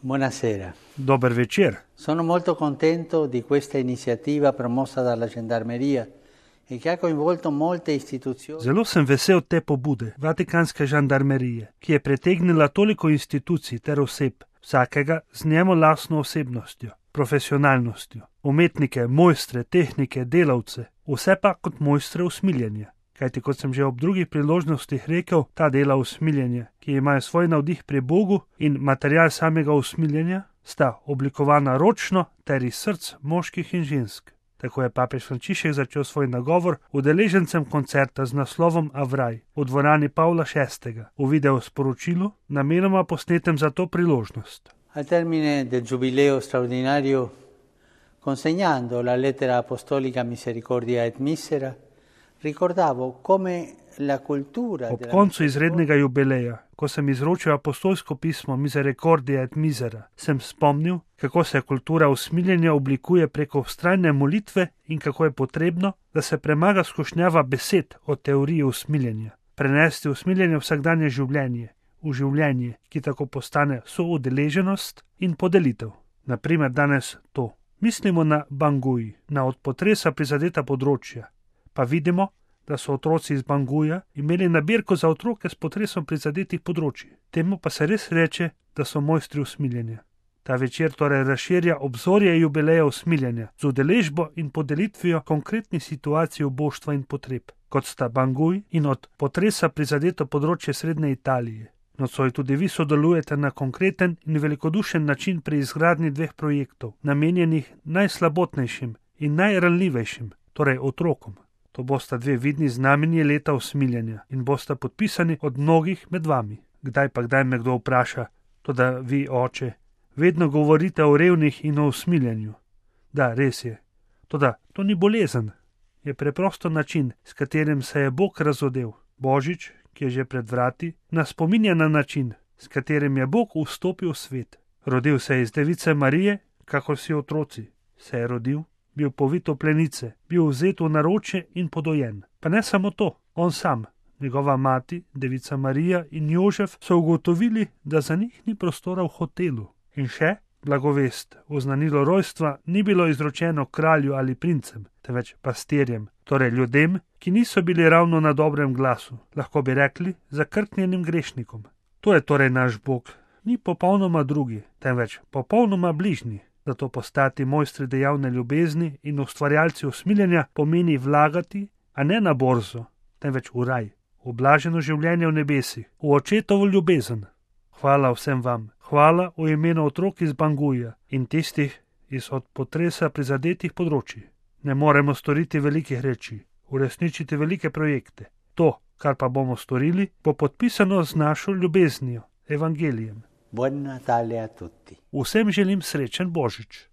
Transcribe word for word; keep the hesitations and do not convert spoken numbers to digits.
Buonasera. Dober večer. Sono molto contento di questa iniziativa promossa dalla Gendarmeria e che ha coinvolto molte istituzioni. Zelo sem vesel te pobude Vatikanske žandarmerije, ki je pritegnila toliko institucij ter oseb, vsakega z njemu lastno osebnostjo, profesionalnostjo, umetnike, mojstre, tehnike, delavce, vse pa kot mojstre usmiljenja. Kajti, kot sem že ob drugih priložnostih rekel, ta dela usmiljenja, ki imajo svoj navdih pri Bogu in material samega usmiljenja, sta oblikovana ročno ter iz src moških in žensk. Tako je papež Frančišek začel svoj nagovor udeležencem koncerta z naslovom Avraj v dvorani Pavla šestega v video sporočilu, namenoma posnetem za to priložnost. Al termine del giubileo straordinario, consegnando la lettera apostolica Misericordia et Misera, ricordavo come la cultura Ob koncu izrednega jubileja, ko sem izročil apostolsko pismo Misericordia et Misera, sem spomnil, kako se kultura usmiljenja oblikuje preko vztrajne molitve in kako je potrebno, da se premaga skušnjava besed o teoriji usmiljenja, prenesti usmiljenje v vsakdanje življenje, v življenje, ki tako postane soudeleženost in podelitev. Naprimer danes to. Mislimo na Bangui, na od potresa prizadeta področja, pa vidimo, da so otroci iz Banguja imeli nabirko za otroke s potresom prizadetih področji. Temu pa se res reče, da so mojstri usmiljenja. Ta večer torej razširja obzorje jubileja usmiljenja z udeležbo in podelitvijo konkretnih situacij oboštva in potreb, kot sta Banguj in od potresa prizadeto področje Srednje Italije. Nocoj tudi vi sodelujete na konkreten in velikodušen način pri izgradnji dveh projektov, namenjenih najslabotnejšim in najranljivejšim, torej otrokom. To bosta dve vidni znamenji leta usmiljenja in bosta podpisani od mnogih med vami. Kdaj pa kdaj me kdo vpraša, toda vi, oče, vedno govorite o revnih in o usmiljenju. Da, res je. Toda to ni bolezen. Je preprosto način, s katerim se je Bog razodel. Božič, ki je že pred vrati, nas spominja na način, s katerim je Bog vstopil v svet. Rodil se je iz device Marije, kakor si otroci. Se je rodil, bil povit v plenice, bil vzet v naročje in podojen. Pa ne samo to, on sam, njegova mati, devica Marija in Jožef so ugotovili, da za njih ni prostora v hotelu. In še, blagovest, oznanilo rojstva ni bilo izročeno kralju ali princem, temveč pastirjem, torej ljudem, ki niso bili ravno na dobrem glasu, lahko bi rekli zakrknjenim grešnikom. To je torej naš Bog, ni popolnoma drugi, temveč popolnoma bližnji. Zato postati mojstri dejavne ljubezni in ustvarjalci usmiljenja pomeni vlagati, a ne na borzo, temveč v raj, v blaženo življenje v nebesih, v očetovo ljubezen. Hvala vsem vam, hvala v imenu otrok iz Banguja in tistih iz od potresa prizadetih področji. Ne moremo storiti velikih reči, uresničiti velike projekte. To, kar pa bomo storili, bo podpisano z našo ljubeznijo, evangelijem. Buon Natale a tutti. Vsem želim srečen Božič.